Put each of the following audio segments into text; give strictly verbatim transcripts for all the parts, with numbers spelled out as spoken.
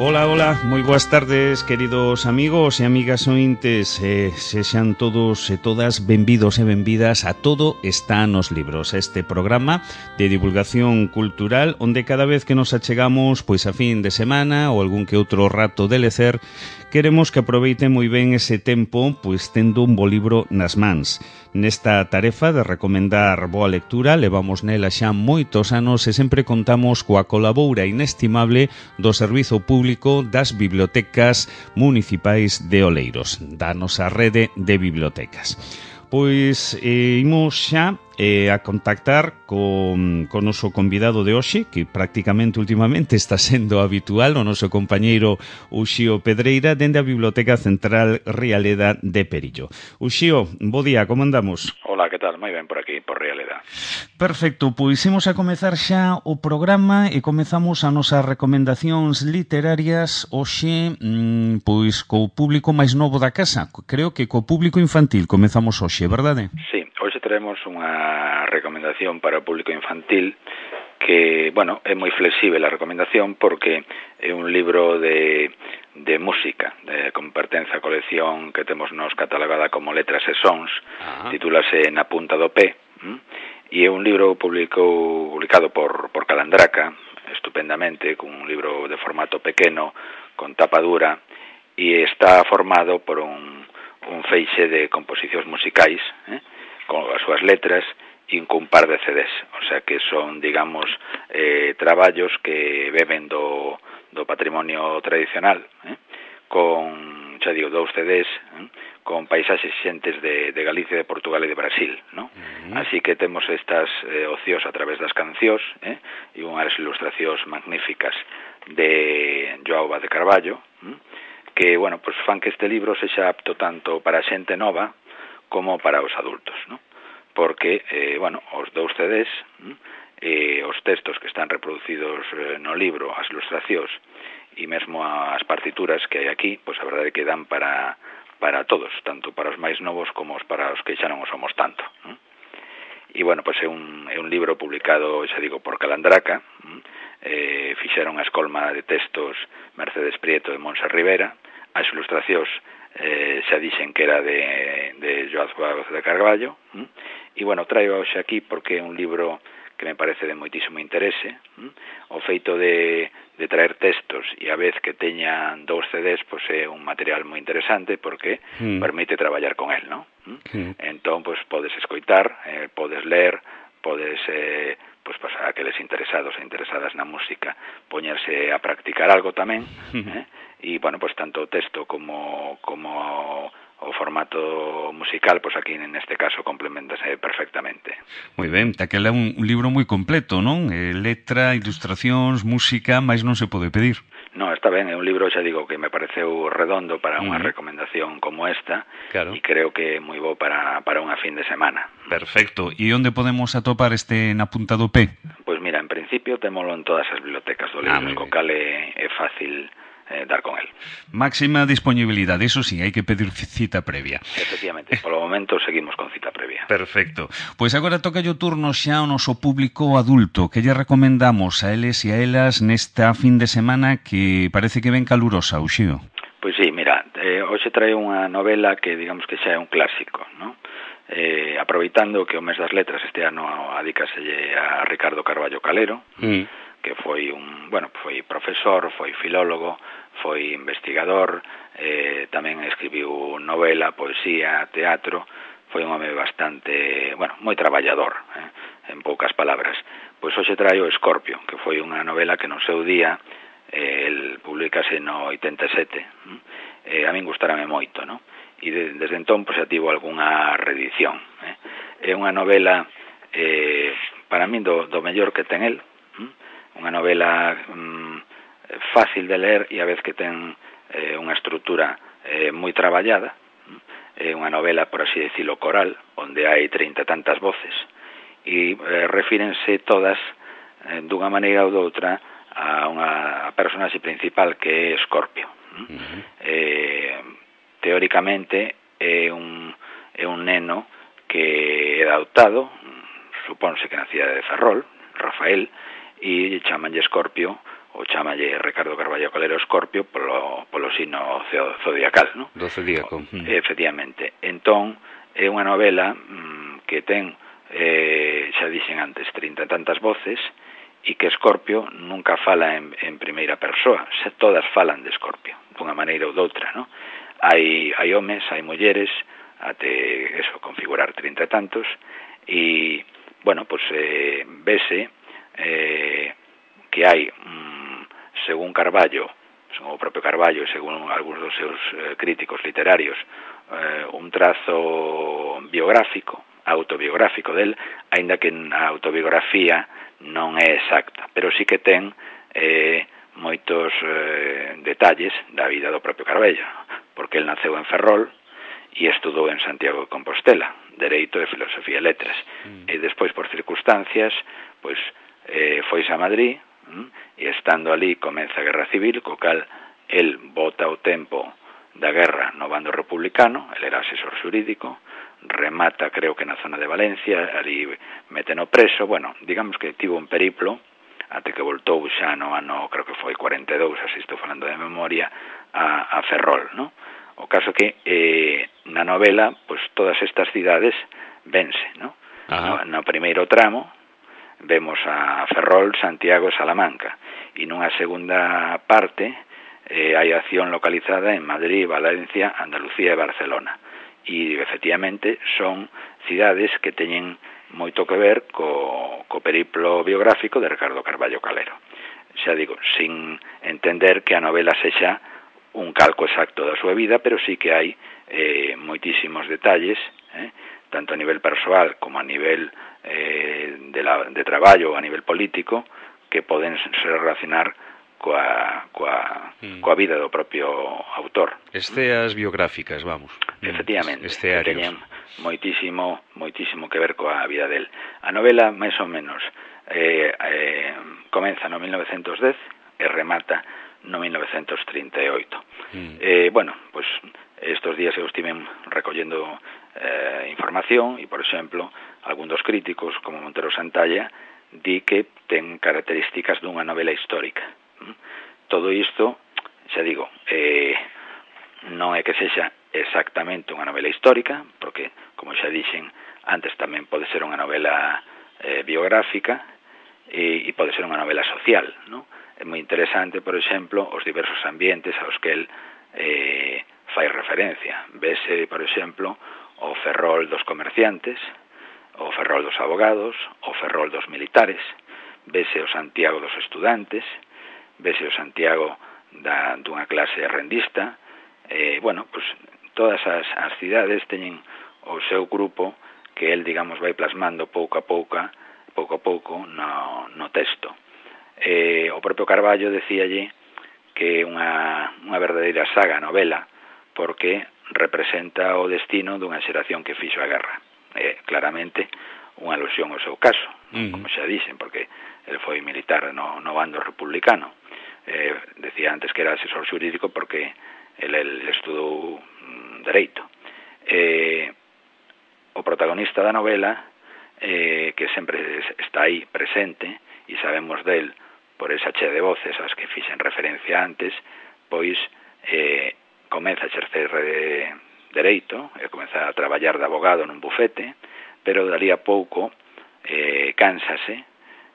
Ola, ola, moi boas tardes, queridos amigos e amigas ointes. eh, Sexan todos e todas benvidos e benvidas a Todo está nos libros, este programa de divulgación cultural onde cada vez que nos achegamos pois a fin de semana ou algún que outro rato de lecer, queremos que aproveiten moi ben ese tempo pois tendo un bo libro nas mans. Nesta tarefa de recomendar boa lectura levamos nela xa moitos anos e sempre contamos coa colaboura inestimable do Servizo Público das Bibliotecas Municipais de Oleiros, da nosa rede de bibliotecas. Pois eh, imos xa eh, a contactar con, con o noso convidado de hoxe, que prácticamente últimamente está sendo habitual, o noso compañeiro Uxío Pedreira, dende a Biblioteca Central Rialeda de Perillo. Uxío, bo día, como andamos? Hola, que tal? Moi ben por aquí, por Rialeda. Perfecto, pois imos a comezar xa o programa e comezamos as nosas recomendacións literarias hoxe, mmm, pois co público máis novo da casa. Creo que co público infantil comezamos hoxe, verdade? Sí, hoxe traemos unha recomendación para o público infantil que, bueno, é moi flexible a recomendación porque é un libro de, de música, de, con pertence á colección que temos nos catalogada como Letras e Sons, ah. titúlase Na punta do pé, ¿m? E é un libro publicou, publicado por, por Calandraca, estupendamente, con un libro de formato pequeno, con tapa dura, e está formado por un, un feixe de composicións musicais, eh, con as súas letras, e un par de C Ds, o sea que son, digamos, eh, traballos que beben do, do patrimonio tradicional, eh, con, xa digo, dous C Ds, eh, con paisaxes xentes de, de Galicia, de Portugal e de Brasil, ¿no? Uh-huh. Así que temos estas eh, ocios a través das cancións, eh, e unhas ilustracións magníficas de Joao Vaz de Carballo, eh, que, bueno, pues fan que este libro sexa apto tanto para a xente nova como para os adultos, ¿no? Porque, eh, bueno, os dous C Ds, eh, os textos que están reproducidos eh, no libro, as ilustracións e mesmo as partituras que hai aquí, pois a verdade é que dan para para todos, tanto para os máis novos como para os que xa non o somos tanto, ¿no? E, bueno, pois é un, é un libro publicado, xa digo, por Calandraca, eh, fixeron a escolma de textos Mercedes Prieto e Monse Rivera, as ilustracións eh, xa dixen que era de, de Joao Vaz de Carballo, ¿m? E, bueno, traio hoxe aquí porque é un libro que me parece de moitísimo interese, ¿m? O feito de, de traer textos e a vez que teñan dous C Ds, pois é un material moi interesante porque mm. permite traballar con el, ¿no? Mm. Entón, pois podes escoitar, eh, podes ler, podes, eh, pois para aqueles interesados e interesadas na música, poñerse a practicar algo tamén, mm. eh? E, bueno, pois tanto o texto como como o formato musical, pois aquí neste caso complementase perfectamente. Moi ben, aquele é un, un libro moi completo, non? Eh, letra, ilustracións, música, máis non se pode pedir. No, está ben, é un libro, xa digo, que me pareceu redondo para unha uh-huh. recomendación como esta, claro. E creo que é moi bo para, para unha fin de semana. Perfecto. E onde podemos atopar este Na punta do pé? Pois mira, en principio témolo en todas as bibliotecas do libro, ah, co cal é, é fácil Eh, dar con el. Máxima disponibilidade, eso sí, hai que pedir cita previa. Efectivamente, polo momento seguimos con cita previa. Perfecto. Pois agora toca o turno xa ao noso público adulto. Que lle recomendamos a eles e a elas nesta fin de semana que parece que ven calurosa, Uxío? Pois sí, mira, eh, hoxe trae unha novela que digamos que xa é un clásico, ¿no? Eh, aproveitando que o mes das letras este ano adícaselle a Ricardo Carballo Calero, mm. que foi un, bueno, foi profesor, foi filólogo, foi investigador, eh, tamén escribiu novela, poesía, teatro, foi un home bastante, bueno, moi traballador, eh, en poucas palabras. Pois hoxe traio Escorpio, que foi unha novela que no seu día, eh, el publicase no oitenta e sete, eh, a min gustarame moito, no? E de, desde entón, pois, xa tivo algunha reedición. Eh. É unha novela, eh, para min, do, do mellor que ten el, unha novela mm, fácil de ler e a vez que ten eh, unha estrutura eh, moi traballada. É unha novela, por así decirlo, coral, onde hai trinta tantas voces e eh, refírense todas eh, dunha maneira ou doutra a unha a personaxe principal que é Escorpio. Uh-huh. Eh, teóricamente é un, é un neno que é adoptado, supónse que nacía de Ferrol, Rafael, e chamanlle Escorpio o chamalle Ricardo Carballo Calero Escorpio polo, polo signo zodiacal, non? Do zodíaco. Efectivamente. Entón, é unha novela mmm, que ten, eh, xa dixen antes, trinta e tantas voces, e que Escorpio nunca fala en, en primeira persoa, se todas falan de Escorpio, dunha maneira ou doutra, non? Hai, hai homes, hai mulleres, até eso, configurar trinta e tantos, e, bueno, pois eh, vese eh, que hai, mm, según Carballo, según o propio Carballo e según algúns dos seus eh, críticos literarios, eh, un trazo biográfico, autobiográfico del, aínda que a autobiografía non é exacta, pero sí que ten eh, moitos eh, detalles da vida do propio Carballo, porque el naceu en Ferrol e estudou en Santiago de Compostela, Dereito e Filosofía e Letras, mm. e despois, por circunstancias, pois, eh, foise a Madrid, mm, e estando ali comeza a Guerra Civil, co cal el bota o tempo da guerra no bando republicano, el era asesor xurídico, remata, creo que na zona de Valencia, ali meteno preso, bueno, digamos que tivo un periplo, até que voltou xa no ano, creo que foi cuarenta e dous, así estou falando de memoria, a, a Ferrol, non? O caso que eh, na novela, pois todas estas cidades vense, non? No, no primeiro tramo vemos a Ferrol, Santiago e Salamanca, e nunha segunda parte eh, hai acción localizada en Madrid, Valencia, Andalucía e Barcelona. E, efectivamente, son cidades que teñen moito que ver co, co periplo biográfico de Ricardo Carballo Calero. Xa digo, sin entender que a novela sexa un calco exacto da súa vida, pero sí que hai eh, moitísimos detalles, eh, tanto a nivel persoal como a nivel eh, de, la, de traballo ou a nivel político, que poden se relacionar coa, coa, mm. coa vida do propio autor. Esteas biográficas, vamos. Efectivamente, Estearios. Que teñen moitísimo, moitísimo que ver coa vida del. A novela, máis ou menos, eh, eh, comeza no mil novecentos dez e remata no mil novecentos trinta e oito. Mm. Eh, bueno, pois estos días eu estive recollendo eh, información e, por exemplo, algún dos críticos, como Montero Santalla, di que ten características dunha novela histórica. Mm. Todo isto, xa digo, eh, non é que sexa exactamente unha novela histórica, porque, como xa dixen antes, tamén pode ser unha novela eh, biográfica e, e pode ser unha novela social, non? É moi interesante, por exemplo, os diversos ambientes aos que el eh, fai referencia. Vese, por exemplo, o Ferrol dos comerciantes, o Ferrol dos abogados, o Ferrol dos militares, vese o Santiago dos estudantes, vese o Santiago da, dunha clase rendista, eh, bueno, pues todas as, as cidades teñen o seu grupo que el, digamos, vai plasmando pouco a pouco, pouco a pouco no, no texto. Eh, o propio Carballo decíalle que é unha, unha verdadeira saga, novela, porque representa o destino dunha xeración que fixo a guerra. Eh, claramente unha alusión ao seu caso, uh-huh. como xa dixen, porque el foi militar no, no bando republicano. Eh, decía antes que era asesor xurídico porque el, el estudou mm, Dereito. Eh, o protagonista da novela, eh, que sempre está aí presente, e sabemos del por esa chea de voces ás que fixen referencia antes, pois eh, comeza a exercer de Dereito, e comeza a traballar de abogado nun bufete, pero dali a pouco eh, cánsase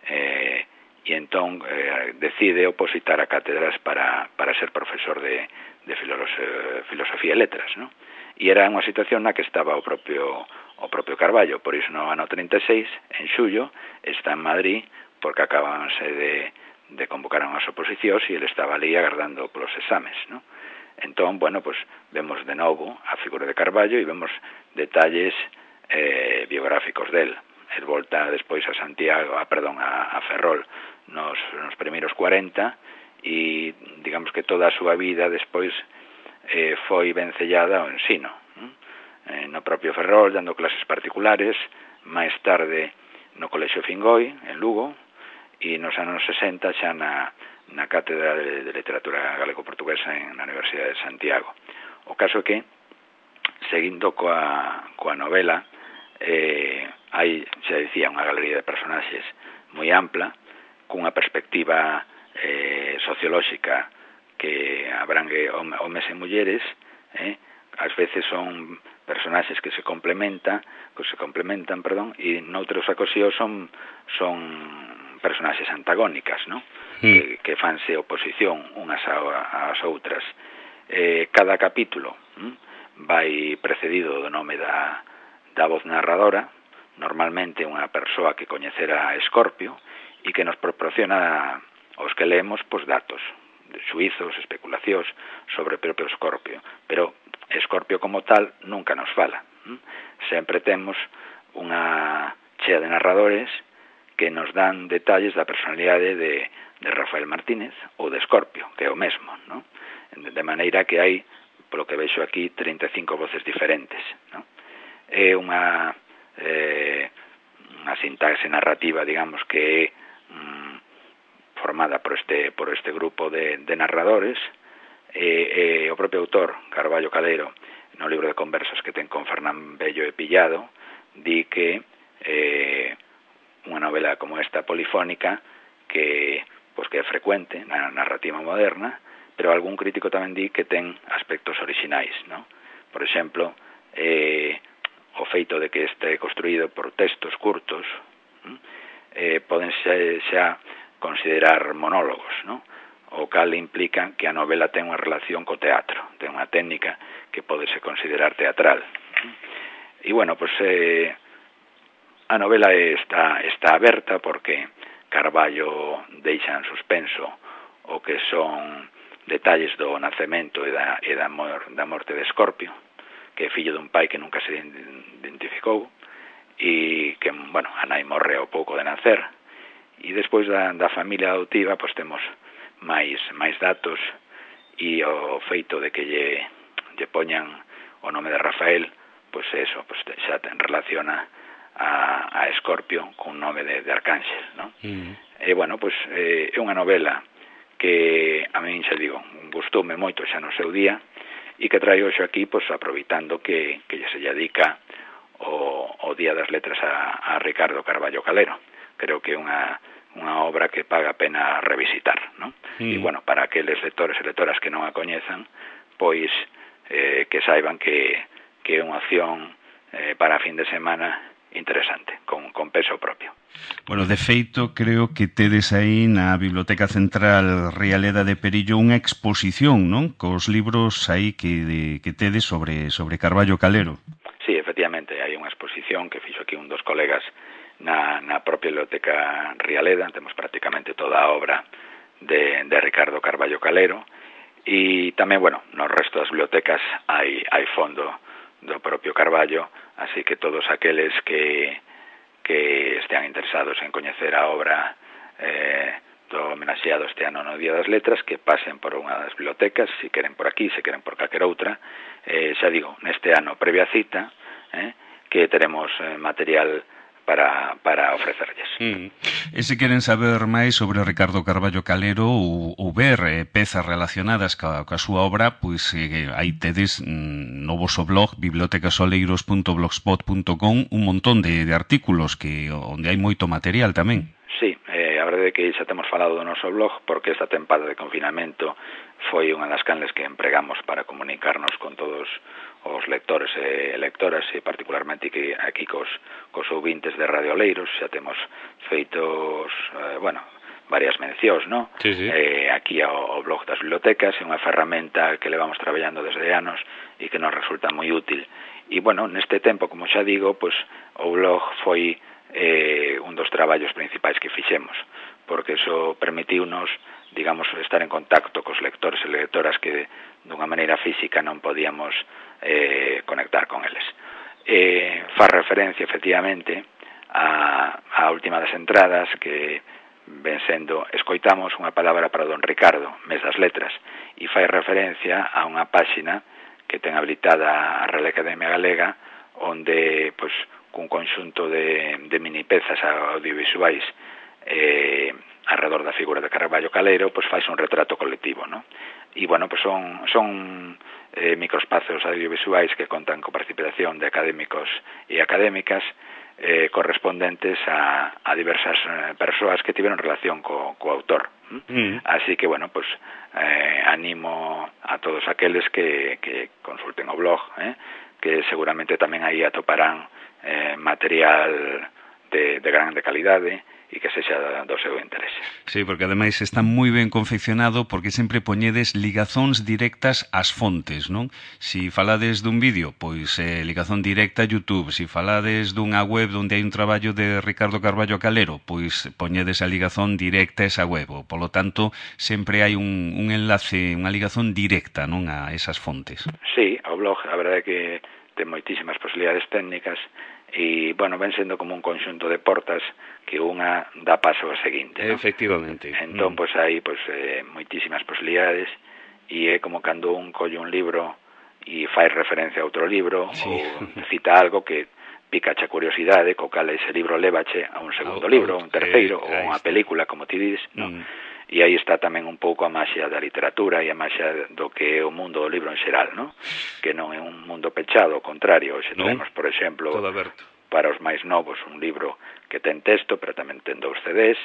eh, e entón eh, decide opositar a cátedras para, para ser profesor de, de filos- filosofía e letras, ¿no? E era unha situación na que estaba o propio o propio Carballo, por iso no ano trinta e seis, en xullo, está en Madrid, porque acabanse de, de convocar unhas oposicións e ele estaba ali agardando polos exames, ¿no? Entón, bueno, pues vemos de novo a figura de Carballo e vemos detalles eh, biográficos del. El volta despois a Santiago, a, perdón, a, a Ferrol nos, nos primeiros cuarenta e digamos que toda a súa vida despois eh, foi vencellada ao ensino, ¿no? Eh, no propio Ferrol, dando clases particulares, máis tarde no Colexio Fingoi, en Lugo, e nos anos sesenta xa na, na Cátedra de, de Literatura Galego-Portuguesa en, na Universidade de Santiago. O caso é que, seguindo coa, coa novela, eh, hai, xa dicía, unha galería de personaxes moi ampla, cunha perspectiva eh, sociolóxica que abrangue homes e mulleres, eh, ás veces son personaxes que se complementan, que se complementan, perdón, e noutros ocasións son son personaxes antagónicas, ¿no? Mm. Que, que fanse oposición unhas ás outras. Eh, cada capítulo hm, vai precedido do nome da, da voz narradora, normalmente unha persoa que coñecera a Escorpio e que nos proporciona aos que leemos pois, datos, xuizos, especulacións sobre o propio Escorpio, pero Escorpio como tal nunca nos fala. Hm? Sempre temos unha chea de narradores que nos dan detalles da personalidade de, de Rafael Martínez ou de Escorpio, que é o mesmo, ¿no? De maneira que hai, polo que vexo aquí, trinta e cinco voces diferentes, ¿no? É unha eh, unha sintaxe narrativa, digamos, que é mm, formada por este, por este grupo de, de narradores, e, e o propio autor, Carballo Calero, no libro de conversas que ten con Fernán Bello e Pillado, di que eh, unha novela como esta polifónica que, pues, que é frecuente na narrativa moderna, pero algún crítico tamén di que ten aspectos orixinais, ¿no? Por exemplo, eh, o feito de que este construído por textos curtos, eh, poden xa, xa considerar monólogos, ¿no? O cal implica que a novela ten unha relación co teatro, ten unha técnica que pode se considerar teatral. E, bueno, pues, eh, a novela está, está aberta porque Carballo deixa en suspenso o que son detalles do nacemento e da, e da, mor, da morte de Escorpio, que é fillo dun pai que nunca se identificou e que, bueno, a nai morre ao pouco de nacer, e despois da, da familia adoptiva pois temos máis, máis datos, e o feito de que lle, lle poñan o nome de Rafael, pois eso, pois xa ten relaciona a, a Escorpio con nome de, de Arcángel, ¿no? Mm. E, bueno, pois eh, é unha novela que a min, xa digo, gustoume moito xa no seu día, e que traio xo aquí, pois, aproveitando que, que lle se lle dedica o, o Día das Letras a, a Ricardo Carballo Calero. Creo que é unha, unha obra que paga a pena revisitar, ¿no? Mm. E, bueno, para aqueles lectores e lectoras que non a coñezan, pois, eh, que saiban que, que é unha opción eh, para a fin de semana interesante, con, con peso propio. Bueno, de feito, creo que tedes aí na Biblioteca Central Rialeda de Perillo unha exposición, non? Cos libros aí que, de, que tedes sobre, sobre Carballo Calero. Sí, efectivamente, hai unha exposición que fixo aquí un dos colegas na, na propia Biblioteca Rialeda. Temos prácticamente toda a obra de, de Ricardo Carballo Calero, e tamén, bueno, no resto das bibliotecas hai, hai fondo do propio Carballo, así que todos aqueles que, que estean interesados en coñecer a obra eh, do homenaxeado este ano no Día das Letras, que pasen por unha das bibliotecas, se queren por aquí, se queren por calquera outra. Eh, xa digo, neste ano previa cita, eh, que teremos eh, material para, para ofrecerlles. Mm. E se queren saber máis sobre Ricardo Carballo Calero ou, ou ver eh, pezas relacionadas ca, ca súa obra, pois eh, aí tedes mm, no voso blog bibliotecasoleiros punto blogspot punto com un montón de, de artículos que onde hai moito material tamén. Sí, eh, a verdade é que xa temos falado do noso blog porque esta tempada de confinamento foi unha das canles que empregamos para comunicarnos con todos os lectores e lectoras, e particularmente que aquí cos, cos ouvintes de Radio Oleiros xa temos feitos, eh, bueno, varias mencións, ¿no? Sí, sí. Eh, aquí ao, ao blog das bibliotecas, é unha ferramenta que levamos traballando desde anos e que nos resulta moi útil. E, bueno, neste tempo, como xa digo, pues, o blog foi eh, un dos traballos principais que fixemos, porque iso permitiunos, digamos, estar en contacto cos lectores e lectoras que dunha maneira física non podíamos eh, conectar con eles. Eh, fa referencia, efectivamente, a, a última das entradas que ven sendo escoitamos unha palabra para don Ricardo, mes das letras, e fai referencia a unha páxina que ten habilitada a Real Academia Galega, onde, pois, cun conxunto de, de mini pezas audiovisuais eh, alrededor da figura de Carballo Calero, pois fais un retrato colectivo, ¿no? E, bueno, pois son, son eh, microespazos audiovisuais que contan con participación de académicos e académicas eh, correspondentes a, a diversas eh, persoas que tiveron relación co, co autor. Mm. Así que, bueno, pues eh, animo a todos aqueles que, que consulten o blog, eh, que seguramente tamén aí atoparán eh, material de, de grande calidade e que sexa do seu interese. Sí, porque ademais está moi ben confeccionado porque sempre poñedes ligazóns directas ás fontes, non? Si falades dun vídeo, pois eh, ligazón directa a YouTube. Si falades dunha web onde hai un traballo de Ricardo Carballo Calero, pois poñedes a ligazón directa a esa web. Polo tanto, sempre hai un, un enlace, unha ligazón directa, non, a esas fontes. Sí, o blog, a verdade é que ten moitísimas posibilidades técnicas e, bueno, ven sendo como un conxunto de portas que unha dá paso ao seguinte, ¿no? Efectivamente. Entón, mm. pois hai pois, eh, moitísimas posibilidades e é como cando un colle un libro e fai referencia a outro libro, sí, ou cita algo que picache a curiosidade, co cal ese libro lévache a un segundo oh, libro, un terceiro, eh, ou unha película, como ti dices, ¿no? Mm. E aí está tamén un pouco a maxia da literatura e a maxia do que é o mundo do libro en xeral, ¿no? Que non é un mundo pechado, ao contrario, se no, tenemos, por exemplo, para os máis novos, un libro que ten texto, pero tamén ten dous C Ds,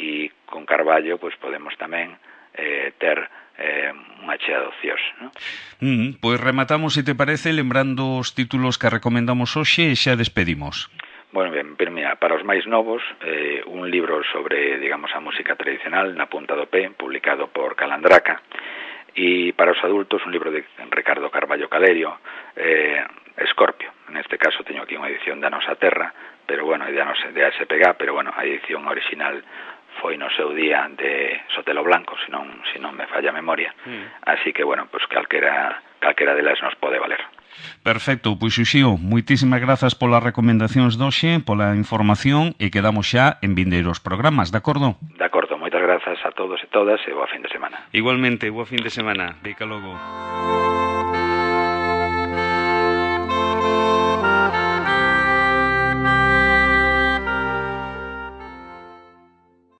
e con Carballo, pois podemos tamén eh, ter eh, unha chea de ocios, ¿no? Mm, pois rematamos, se te parece, lembrando os títulos que recomendamos hoxe e xa despedimos. Bueno, ben, pero mira, para os máis novos, eh, un libro sobre, digamos, a música tradicional na punta do pé, publicado por Calandraca, e para os adultos un libro de Ricardo Carballo Calerio, eh, Escorpio. Neste caso teño aquí unha edición da Nosa Terra, pero bueno, de A S P G, pero bueno, a edición original foi no seu día de Sotelo Blanco, se non, se non me falla a memoria, mm. así que, bueno, pues calquera, calquera delas nos pode valer. Perfecto, pois Xuxío, moitísimas grazas polas recomendacións doxe, pola información e quedamos xa en vindeiros programas, de acordo? De acordo, moitas grazas a todos e todas e boa fin de semana. Igualmente, boa fin de semana, deica logo.